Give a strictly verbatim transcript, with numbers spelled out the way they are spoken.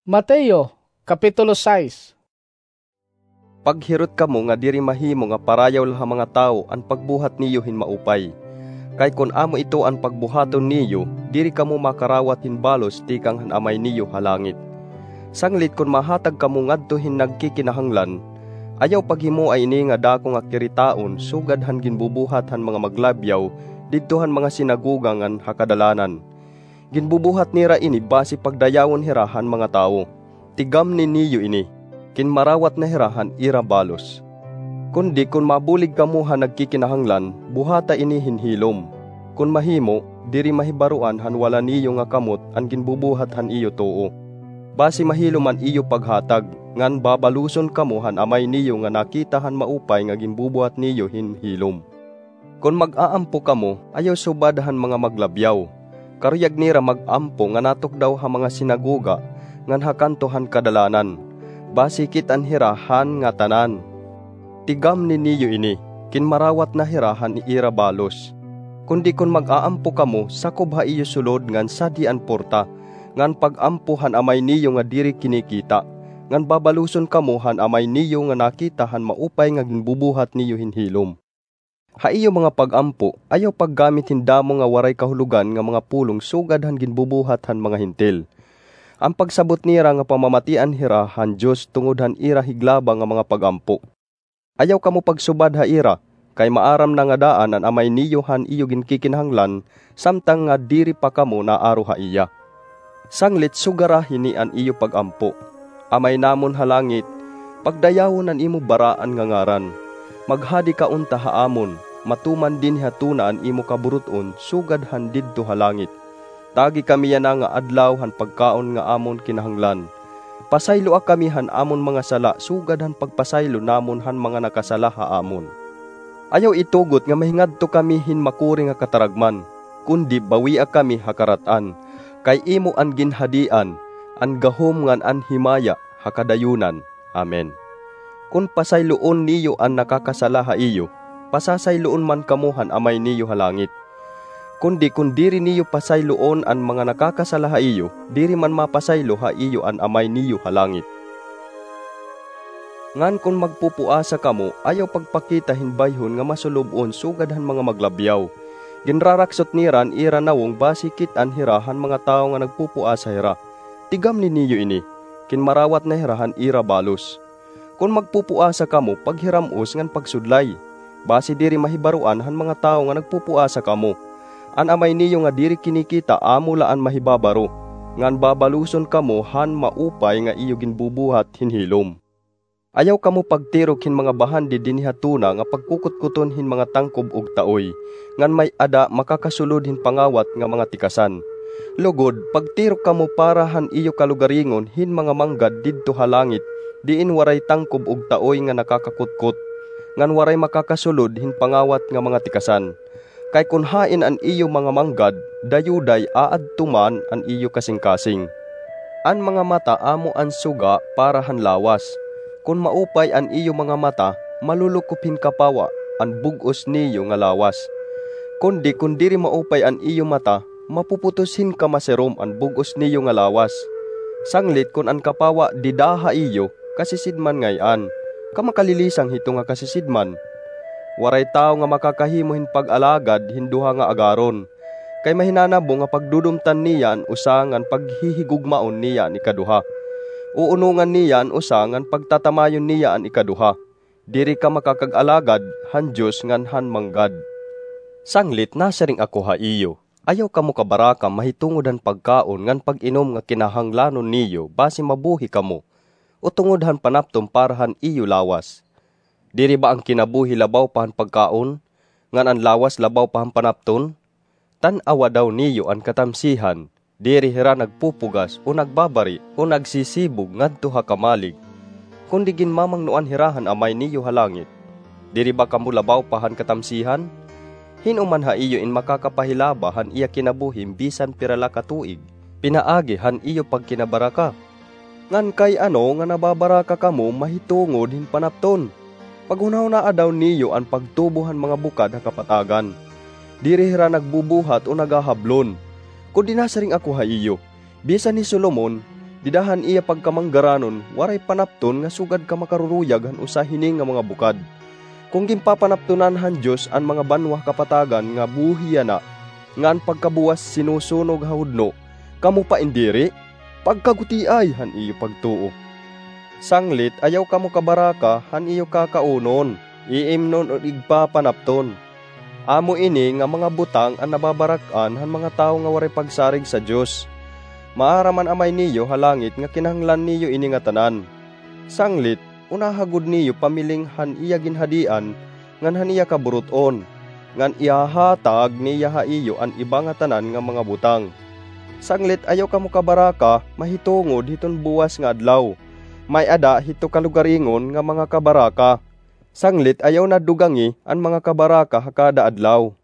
Mateo, Kapitulo sais. Paghirot kamo nga diri mahimo nga parayaw la ha mga tawo an pagbuhat niyo hin maupay. Kay kon amo ito an pagbuhaton niyo, diri kamo makarawat hin balos tikang han Amay niyo ha langit. Sanglit kon mahatag kamo ngadto hin nagkikinahanglan, ayaw paghimoa ini nga dako nga kiritaon sugad han ginbubuhat han mga maglabyaw didto han mga sinagoga ngan ha kadalanan. Ginbubuhat nira ini basi pagdayawon hira han mga tawo. Tigamni niyo ini, kinmarawat na hira han ira balos. Kundi kon mabulig kamo han nagkikinahanglan, buhata ini hin hilom. Kon mahimo, diri mahibaroan han wala niyo nga kamot an ginbubuhat han iyo too. Basi mahilom an iyo paghatag, ngan babaloson kamo han Amay niyo nga nakita han maupay nga ginbubuhat niyo hin hilom. Kon mag-aampo kamo, ayaw subad han mga maglabyaw. Karuyag nira mag-ampo nga natukdaw ha mga sinagoga ngan ha kanto han kadalanan, basi kit-an hira han ngatanan. Tigamni niyo ini, kinmarawat na hira han ira balos. Kundi kon mag-aampo kamo, sakob ha iyo sulod ngan sadhi an porta, ngan pag-ampo han Amay niyo nga diri kinikita, ngan babaloson kamo han Amay niyo nga nakita han maupay nga ginbubuhat niyo hin hilom. Ha iyo mga pag-ampo, ayaw paggamit hin damo nga waray kahulogan nga mga pulong sugad han ginbubuhat han mga Hentil. An pagsabot nira nga pamamatian hira han Dios tungod han ira higlaba nga mga pag-ampo. Ayaw kamo pagsubad ha ira, kay maaram na nga daan an Amay niyo han iyo ginkikinahanglan samtang nga diri pa kamo naaro ha iya. Sanglit sugara hini an iyo pag-ampo: Amay namon ha langit, pagdayawon an imo baraan nga ngaran. Maghadi ka unta ha amon, matuman dinhi ha tuna an imo kaburut-on sugad han didto ha langit. Tagi kami yana nga adlaw han pagkaon nga amon kinahanglan. Pasayloa kami han amon mga sala sugad han pagpasaylo namon han mga nakasala ha amon. Ayaw itugot nga mahingadto kami hin makuri nga kataragman, kundi bawia kami ha karat-an, kay imo an ginhadian, an gahom ngan an himaya ha kadayonan. Amen. Kon pasayloon niyo an nakakasala ha iyo, pasasayloon man kamo han Amay niyo ha langit. Kundi kon diri niyo pasayloon an mga nakakasala ha iyo, diri man mapasaylo ha iyo an Amay niyo ha langit. Ngan kon magpupuasa kamo, ayaw pagpakita hin bayhon nga masulob-on sugad han mga maglabyaw. Ginraraksot nira an ira nawong basi kit-an hira han mga tawo nga nagpupuasa hira. Tigamni niyo ini, kinmarawat na hira han ira balos. Kon magpupuasa kamo, paghiram-os ngan pagsudlay, basi diri mahibaroan han mga tawo nga nagpupuasa kamo. An Amay niyo nga diri kinikita amo la an mahibabaro, ngan babaloson kamo han maupay nga iyo ginbubuhat hin hilom. Ayaw kamo pagtirok hin mga bahandi dinhi ha tuna nga pagkukutkuton hin mga tangkob ug taoy, ngan may-ada makakasulod hin pangawat nga mga tikasan. Lugod, pagtirok kamo para han iyo kalugaringon hin mga manggad didto ha langit, diin waray tangkob ug taoy nga nakakakutkot, ngan waray makakasulod hin pangawat nga mga tikasan. Kay kon hain an iyo mga manggad, dayuday aadto man an iyo kasingkasing. An mga mata amo an suga para han lawas. Kon maupay an iyo mga mata, malulukop hin kapawa an bug-os niyo nga lawas. Kundi kon diri maupay an iyo mata, mapuputos hin kamasirom an bug-os niyo nga lawas. Sanglit kon an kapawa dida ha iyo, kasisidman ngay-an, ka makalilisang hito nga kasisidman. Waray tawo nga makakahimo hin pag-alagad hin duha nga agaron, kay mahinanabo nga pagdudumtan niya an usa ngan paghihigugmaon niya an ikaduha. Uunongan niya an usa ngan pagtatamayon niya an ikaduha. Diri ka makakag-alagad han Dios ngan han manggad. Sanglit nasiring ako ha iyo, ayaw kamo kabaraka mahitungod han pagkaon ngan pag-inom nga kinahanglanon niyo basi mabuhi kamo, o tungod han panapton para han iyo lawas. Diri ba an kinabuhi labaw pa han pagkaon, ngan an lawas labaw pa han panapton? Tan-awa daw niyo an katamsihan, diri hira nagpupugas o nagbabari o nagsisibog ngadto ha kamalig, kundi ginmamangnoan hira han Amay niyo ha langit. Diri ba kamo labaw pa han katamsihan? Hin-o man ha iyo in makakapahilaba han iya kinabuhi bisan pira la ka tuig, pinaagi han iyo pagkinabaraka? Ngan kay ano nga nababaraka kamo mahitungod hin panapton? Paghunahunaa daw niyo an pagtubo han mga bukad ha kapatagan. Diri hira nagbubuhat o nagahablon. Kundi nasiring ako ha iyo, bisan hi Solomon, Dida han iya pagkamanggaranon, waray panapton nga sugad ka makaruruyag han usa hini nga mga bukad. Kon ginpapanaptonan han Dios an mga banwa kapatagan nga buhi yana, nga an pagkabuwas sinusunog ha hudno, kamo pa indiri? Pagkagutiay han iyo pagtuo. Sanglit, ayaw kamo kabaraka han iyo kakaunon, iimnon o igpapanapton. Amo ini nga mga butang an nababarak-an han mga tawo nga waray pagsarig sa Dios. Maaram an Amay niyo ha langit nga kinahanglan niyo ini ngatanan. Sanglit, unaha gud niyo pamiling han iya ginhadian ngan han iya kaburut-on, ngan ihahatag niya ha iyo an iba ngatanan nga mga butang. Sanglit, ayaw kamo kabaraka mahitungod hiton buwas nga adlaw. May-ada hito kalugaringon nga mga kabaraka. Sanglit, ayaw nadugangi an mga kabaraka ha kada adlaw.